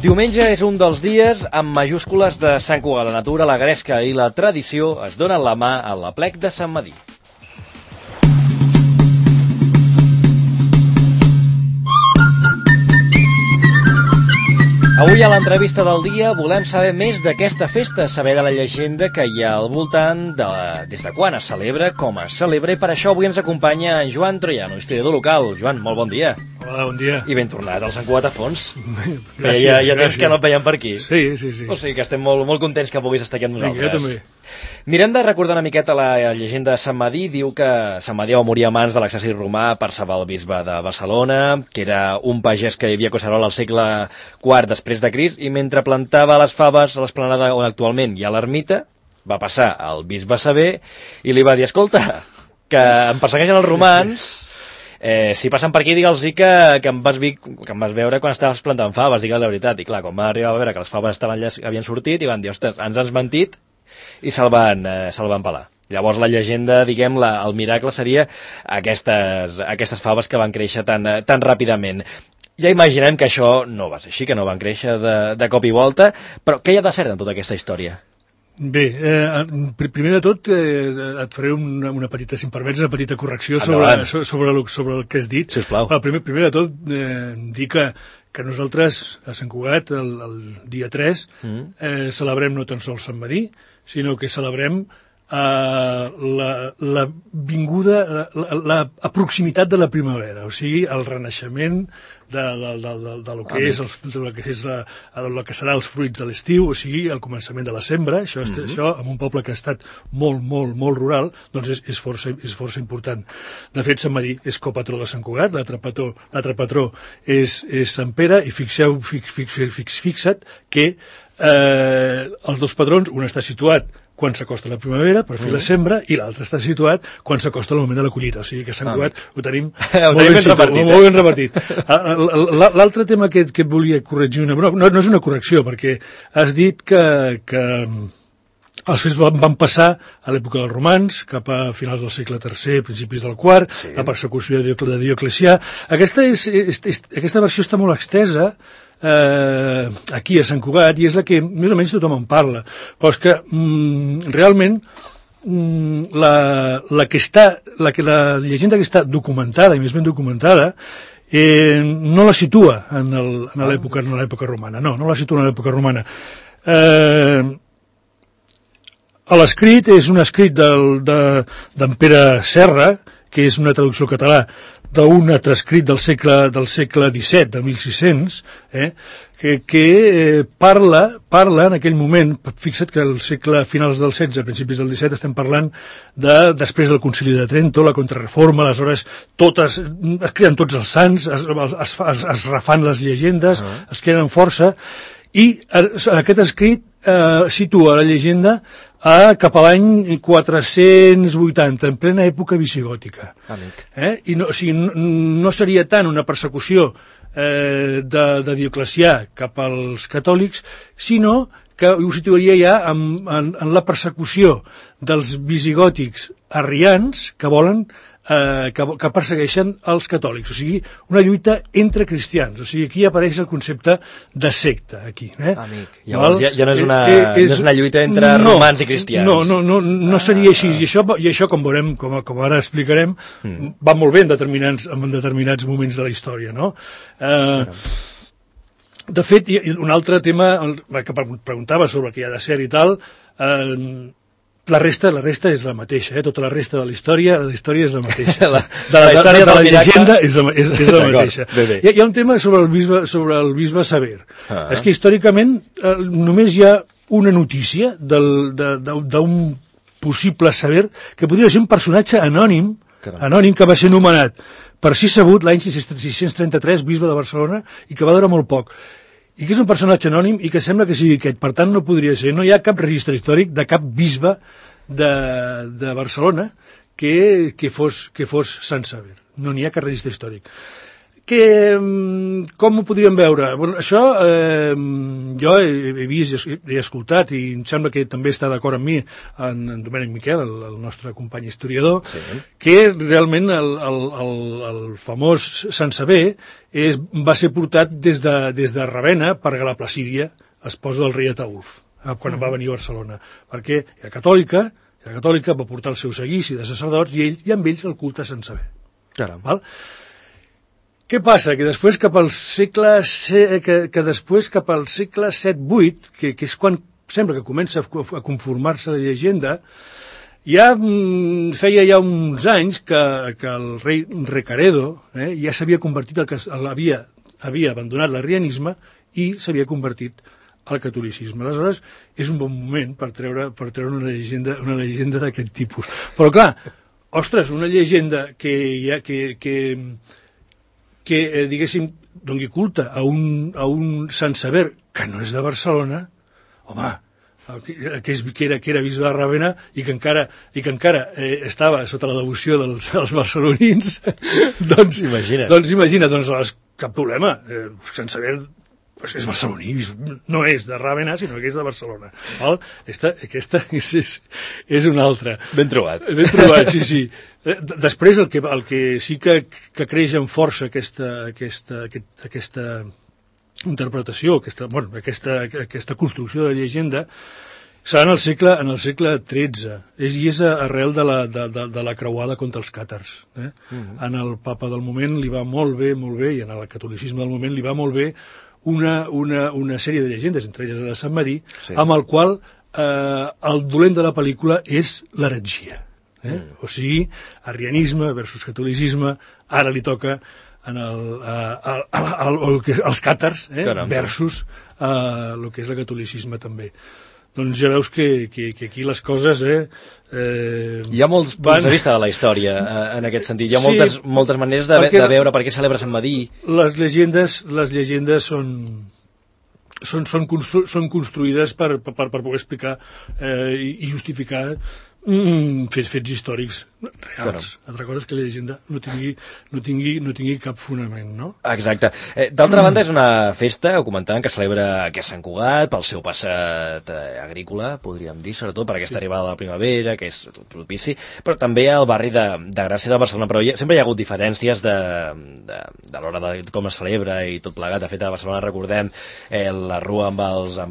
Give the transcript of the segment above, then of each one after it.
Diumenge és un dels dies amb majúscules de Sant Cugat. La natura, la gresca i la tradició es donen la mà a l'Aplec de Sant Medir. Avui a l'entrevista del dia volem saber més d'aquesta festa, saber de la llegenda que hi ha al voltant, des de quan es celebra, com es celebra, i per això avui ens acompanya en Joan Troiano, historiador local. Joan, molt bon dia. Hola, bon dia. I ben tornat al Sant Cugat a fons. Gràcies, ja temps que no et veiem per aquí. Sí. O sigui que estem molt contents que puguis estar aquí amb nosaltres. Jo també. Mirem de recordar una miqueta la llegenda de Sant Medir. Diu que Sant Medir va morir a mans de l'exèrcit romà per salvar el bisbe de Barcelona, que era un pagès que vivia a Collserola al segle IV després de Crist, i mentre plantava les faves a l'esplanada on actualment hi ha l'ermita, va passar al bisbe Sever i li va dir: escolta, que em persegueixen els romans, si passen per aquí digue'ls que em vas veure quan estaves plantant faves, digue'ls la veritat. I clar, quan va arribar a veure que les faves havien sortit, i van dir: ostres, ens has mentit, i se'l van pelar. Llavors la llegenda, diguem, el miracle seria aquestes faves que van créixer tan ràpidament. Ja imaginem que això no va ser així, que no van créixer de cop i volta, però què hi ha de cert en tota aquesta història? Bé, primer de tot et faré una petita, si em permets, una petita correcció sobre el que has dit. Sisplau. Primer de tot, dir que nosaltres a Sant Cugat, el dia 3, celebrem no tan sols Sant Medir, sinó que celebrem la vinguda, la proximitat de la primavera, o sigui, el renaixement de lo que és el que serà els fruits de l'estiu, o sigui, el començament de la sembra. Això en un poble que ha estat molt rural, doncs és força important. De fet, Sant Medir és copatró de Sant Cugat, l'altre patró és Sant Pere, i fixa't que els dos patrons, un està situat quan s'acosta la primavera per fer la sembra, i l'altre està situat quan s'acosta el moment de la collita. O sigui que a Sant Cugat ho tenim molt ben repartit. L'altre tema que et volia corregir, no és una correcció, perquè has dit que els fets van passar a l'època dels romans, cap a finals del segle III, principis del IV, la persecució de Dioclecià. Aquesta versió està molt extesa aquí a Sant Cugat, i és la que més o menys tothom en parla, però és que realment la llegenda que està documentada, i més ben documentada, no la situa en l'època romana. No la situa en l'època romana. L'escrit és un escrit d'en Pere Serra, que és una traducció al català d'un altre escrit del segle XVII, de 1600, que parla en aquell moment. Fixa't que finals del XVI, principis del XVII, estem parlant després del Concili de Trento, la Contrareforma. Aleshores es creen tots els sants, es refan les llegendes, es creen força, i aquest escrit situa la llegenda cap a l'any 480, en plena època visigòtica. I no seria tant una persecució de Dioclecià cap als catòlics, sinó que ho situaria ja en la persecució dels visigòtics arrians que volen que persegueixen els catòlics, o sigui, una lluita entre cristians. O sigui, aquí apareix el concepte de secta, aquí. Amic, llavors ja no és una lluita entre romans i cristians. No seria així, i això, com veurem, com ara explicarem, va molt bé en determinats moments de la història, no? De fet, un altre tema que preguntava sobre el que hi ha de ser i tal, la resta és la mateixa, tota la resta de la història és la mateixa. De la llegenda és la mateixa. Hi ha un tema sobre el bisbe Sever. És que històricament només hi ha una notícia d'un possible Sever que podria ser un personatge anònim que va ser nomenat per si sabut l'any 633 bisbe de Barcelona, i que va durar molt poc, i que és un personatge anònim i que sembla que sigui aquest. Per tant, no podria ser, no hi ha cap registre històric de cap bisbe de Barcelona que fos Sant Sever. No n'hi ha cap registre històric. Com ho podríem veure? Bueno, això jo he vist i he escoltat i em sembla que també està d'acord amb mi en Domènec Miquel, el nostre company historiador, sí, que realment el famós Sant Sever va ser portat des de Ravenna per Gal·la Placídia, esposa del rei Ataulf, quan va venir a Barcelona, perquè era catòlica, va portar el seu seguici de sacerdots i amb ells el culte a Sant Sever. Caram. Val? Què passa? Que després cap al segle VII-VIII, que és quan sembla que comença a conformar-se la llegenda, feia ja uns anys que el rei Recaredo ja s'havia convertit, havia abandonat l'arrianisme i s'havia convertit al catolicisme. Aleshores, és un bon moment per treure una llegenda d'aquest tipus. Però clar, ostres, una llegenda que diguéssim, doni culte a un Sant Sever que no és de Barcelona, home, que era bisbe de Ravenna i que encara estava sota la devoció dels barcelonins, doncs imagina, cap problema, Sant Sever és barceloní, no és de Ravenna, sinó que és de Barcelona. Aquesta és una altra. Ben trobat. Ben trobat, sí. Després, el que sí que creix amb força aquesta interpretació, aquesta construcció de llegenda, serà en el segle XIII, i és arrel de la creuada contra els càtars. En el papa del moment li va molt bé, i en el catolicisme del moment li va molt bé una sèrie de llegendes, entre elles la de Sant Madí, amb el qual el dolent de la pel·lícula és l'heretgia. O sigui, arrianisme versus catolicisme, ara li toca als càtars versus el que és el catolicisme també. Doncs ja veus que aquí les coses... Hi ha molts punts de vista de la història en aquest sentit. Hi ha moltes maneres de veure per què celebra Sant Madí. Les llegendes són construïdes per poder explicar i justificar fets històrics reals. Altra cosa és que la llegenda no tingui cap fonament, no? Exacte. D'altra banda, és una festa, ho comentàvem, que celebra aquest Sant Cugat pel seu passat agrícola, podríem dir, sobretot per aquesta arribada de la primavera, que és propici, però també al barri de Gràcia de Barcelona. Però sempre hi ha hagut diferències de l'hora de com es celebra i tot plegat. De fet, a Barcelona recordem la rua amb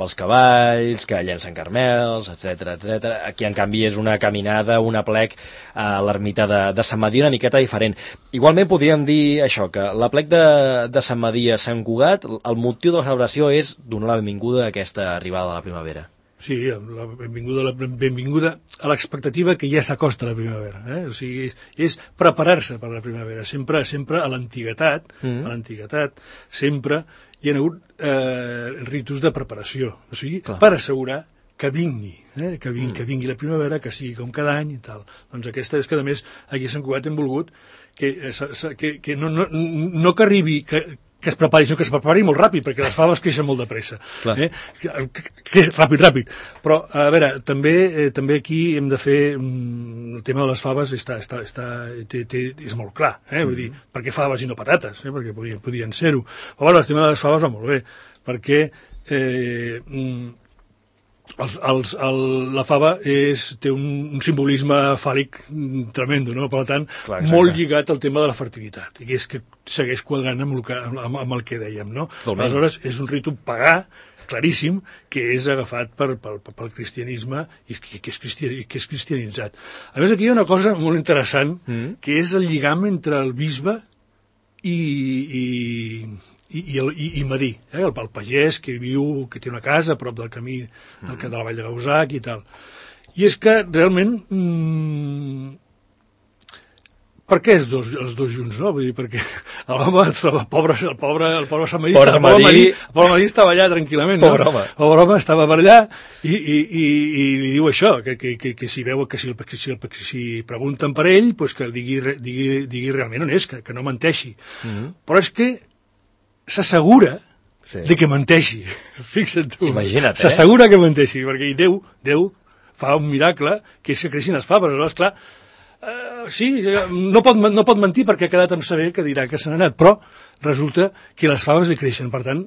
els cavalls, que llencen carmels, etc. Aquí, en canvi, és una caminada, un aplec a l'ermita de Sant Madí una miqueta diferent. Igualment podríem dir això, que l'aplec de Sant Madí a Sant Cugat, el motiu de la celebració és donar la benvinguda a aquesta arribada de la primavera. Sí, la benvinguda a l'expectativa que ja s'acosta a la primavera. O sigui, és preparar-se per la primavera. Sempre a l'antiguitat, sempre hi ha hagut ritus de preparació. O sigui, per assegurar que vingui, que vingui la primavera, que sigui com cada any i tal. Doncs aquesta és que, a més, aquí a Sant Cugat hem volgut que no que arribi, que es prepari, sinó que es prepari molt ràpid, perquè les faves creixen molt de pressa. Ràpid. Però, a veure, també aquí hem de fer... El tema de les faves és molt clar, vull dir, per què faves i no patates? Perquè podien ser-ho. Però, bueno, el tema de les faves va molt bé, perquè la fava té un simbolisme fàl·lic tremendo, no? Per tant, molt lligat al tema de la fertilitat, i és que segueix quadrant amb el que dèiem, no? Aleshores, és un ritu pagà claríssim que és agafat pel cristianisme i que és cristianitzat. A més, aquí hi ha una cosa molt interessant, que és el lligam entre el bisbe i Madí, el pagès que té una casa a prop del camí de la Vall de Gausac i tal. I és que realment per què els dos junts, no? Vull dir, perquè el pobre Sant Madí, el pobre Madí estava allà tranquil·lament, no? El pobre home estava per allà i li diu això, que si veu que si pregunten per ell, que digui realment on és, que no menteixi. Però és que s'assegura de que menteixi. Fixa't tu. Imagina't, s'assegura que menteixi, perquè Déu fa un miracle, que és que creixin les faves. Aleshores, clar, Sí, no pot mentir perquè ha quedat amb saber que dirà que se n'ha anat, però resulta que les faves li creixen, per tant,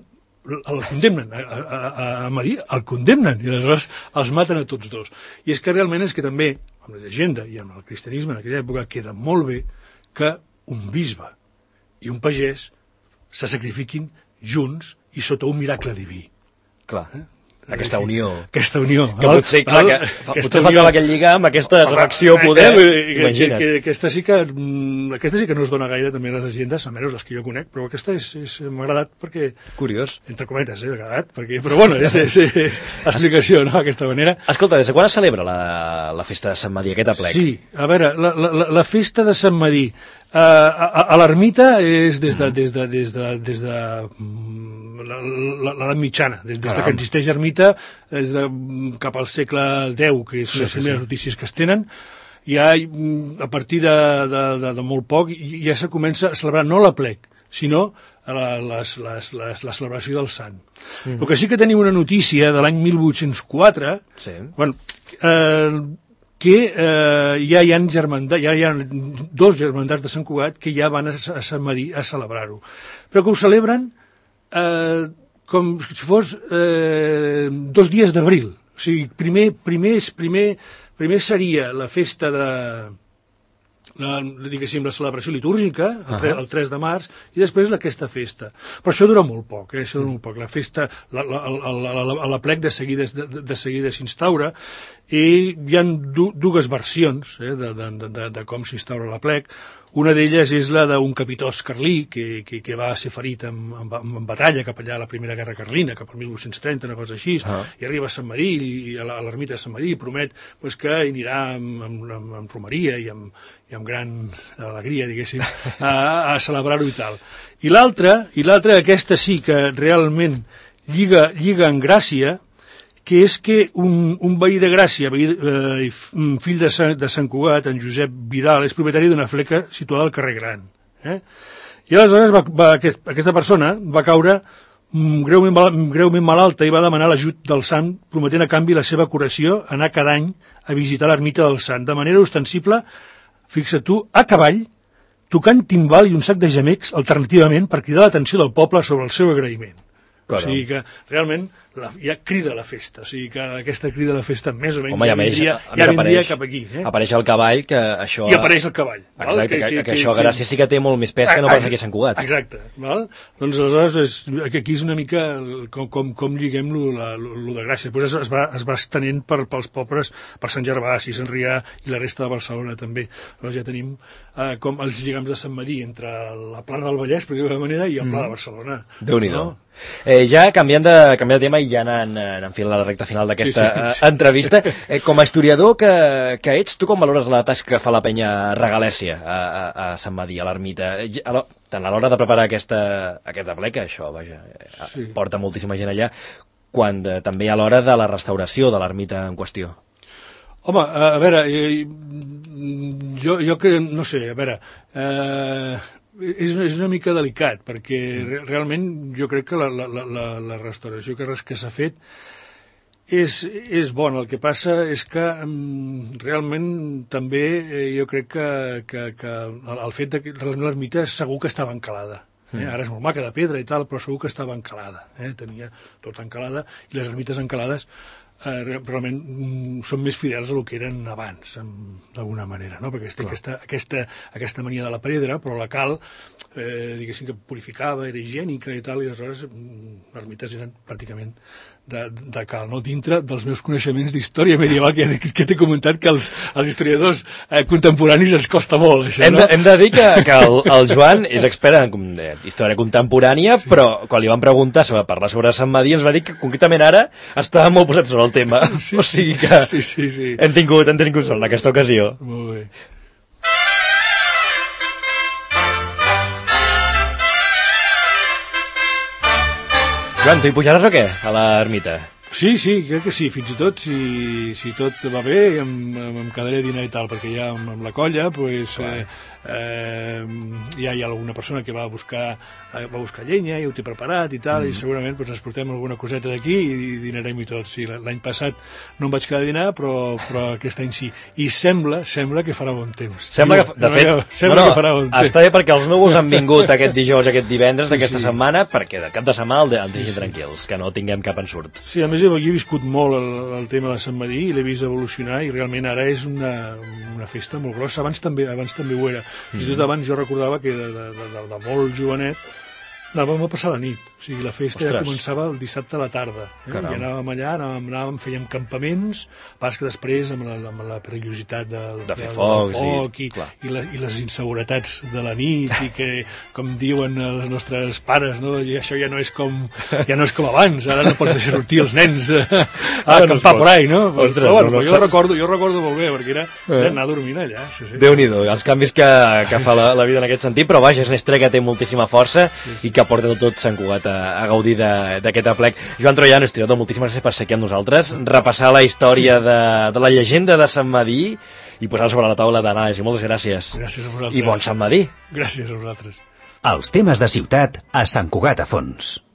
el condemnen, a Madí el condemnen, i aleshores els maten a tots dos. I és que realment és que també, amb la llegenda i amb el cristianisme en aquella època, queda molt bé que un bisbe i un pagès se sacrifiquin junts i sota un miracle diví. Clar. Aquesta unió. Aquesta unió. Que potser, clar, que potser fa aquell lligar amb aquesta reflexió poder. Imagina't. Aquesta sí que no es dona gaire també a les llegendes, almenys les que jo conec, però aquesta m'ha agradat perquè... Curiós. Entre cometes, m'ha agradat, perquè, però bueno, és explicació, no?, d'aquesta manera. Escolta, des de quan es celebra la festa de Sant Madí, aquest aplec? Sí, a veure, la festa de Sant Madí a l'ermita és des de l'edat mitjana, des que existeix ermita, cap al segle X, que són les primeres notícies que es tenen, ja a partir de molt poc ja se comença a celebrar no l'aplec, sinó la celebració del sant. El que sí que tenim una notícia de l'any 1804, bueno, que ja hi ha dos germandats de Sant Cugat que ja van a Sant Madí a celebrar-ho, però que ho celebren com si fos 2 dies d'abril. O sigui, primer seria la festa diguéssim, la celebració litúrgica, el 3 de març, i després aquesta festa. Però això dura molt poc, això dura molt poc. La festa, l'aplec de seguida s'instaura, i hi ha dues versions de com s'instaura l'aplec. Una d'elles és la d'un capitós carlí que va ser ferit en batalla cap allà a la Primera Guerra Carlina, cap al 1830, una cosa així, i arriba a Sant Madí, a l'ermita de Sant Madí, i promet que anirà amb romeria i amb gran alegria, diguéssim, a celebrar-ho i tal. I l'altra, aquesta sí que realment lliga en gràcia, que és que un veí de Gràcia, fill de Sant Cugat, en Josep Vidal, és propietari d'una fleca situada al carrer Gran. I aleshores aquesta persona va caure greument malalta i va demanar l'ajut del sant, prometent a canvi la seva curació, anar cada any a visitar l'ermita del sant, de manera ostensible, fixa't tu, a cavall, tocant timbal i un sac de gemecs alternativament per cridar l'atenció del poble sobre el seu agraïment. O sigui que realment ja crida la festa, o sigui que aquesta crida la festa més o menys ja vindria cap aquí. Apareix el cavall, que això... I apareix el cavall. Exacte, que això a Gràcia sí que té molt més pes que no pas aquí a Sant Cugat. Exacte. Doncs aleshores aquí és una mica com lliguem lo de Gràcia. Després es va estenent pels pobles, per Sant Gervasi, Sant Rià i la resta de Barcelona també. Llavors ja tenim com els lligams de Sant Madí entre la Plana del Vallès, per dir-ho d'alguna manera, i el Pla de Barcelona. Déu-n'hi-do. Ja canviant de tema i ja anant fent la recta final d'aquesta entrevista, com a historiador que ets, tu com valores la tasca que fa la penya Regalèsia a Sant Madí, a l'ermita, tant a l'hora de preparar aquesta aplec, això, vaja, porta moltíssima gent allà, quan també a l'hora de la restauració de l'ermita en qüestió? Home, a veure, jo que, no sé, a veure... És una mica delicat, perquè realment jo crec que la restauració que s'ha fet és bona. El que passa és que realment també jo crec que el fet que l'ermita segur que estava encalada. Ara és molt maca de pedra i tal, però segur que estava encalada. Tenia tota encalada, i les ermites encalades realment són més fidels a el que eren abans, d'alguna manera, no? Perquè té aquesta mania de la pedra, però la cal, diguéssim que purificava, era higiènica i tal, i aleshores les ermites eren pràcticament de cal, no? Dintre dels meus coneixements d'història medieval, que t'he comentat que els historiadors contemporanis ens costa molt, això, no? Hem de dir que el Joan és expert en història contemporània, però quan li van preguntar sobre parlar sobre Sant Madí ens va dir que concretament ara estava molt posat sobre el tema, o sigui que hem tingut sort en aquesta ocasió. Molt bé. Joan, tu hi pujaràs o què, a l'ermita? Sí, crec que sí, fins i tot si tot va bé em quedaré a dinar i tal, perquè ja amb la colla pues, ja hi ha alguna persona que va buscar llenya i ho té preparat i tal, i segurament pues, ens portem alguna coseta d'aquí i dinarem i tot. Sí, l'any passat no em vaig quedar a dinar, però aquest any sí. I sembla que farà bon temps. Sembla que, de fet, que farà bon temps. Està bé perquè els núvols han vingut aquest dijous, aquest divendres d'aquesta setmana, perquè de cap de setmana ens deixin tranquils, que no tinguem cap ensurt. Sí, a més jo he viscut molt el tema de Sant Medir i l'he vist evolucionar i realment ara és una festa molt grossa. Abans també ho era. Fins i tot abans jo recordava que de molt jovenet anàvem a passar la nit, o sigui, la festa ja començava el dissabte a la tarda, i anàvem allà, fèiem campaments, pas que després amb la perillositat de fer foc i les inseguretats de la nit i que, com diuen els nostres pares, no? I això ja no és com abans, ara no pots deixar sortir els nens a acampar por ahí, no? Però bueno, jo recordo molt bé, perquè era anar a dormir allà. Déu-n'hi-do, els canvis que fa la vida en aquest sentit, però vaja, és una estrella que té moltíssima força i que porta tot Sant Cugat a gaudir d'aquest aplec. Joan Troiano, historiador, moltíssimes gràcies per ser aquí amb nosaltres, repassar la història de la llegenda de Sant Medir i posar sobre la taula d'anàlisi. Moltes gràcies. Gràcies a vosaltres. I bon Sant Medir. Gràcies a vosaltres. Els temes de ciutat a Sant Cugat a fons.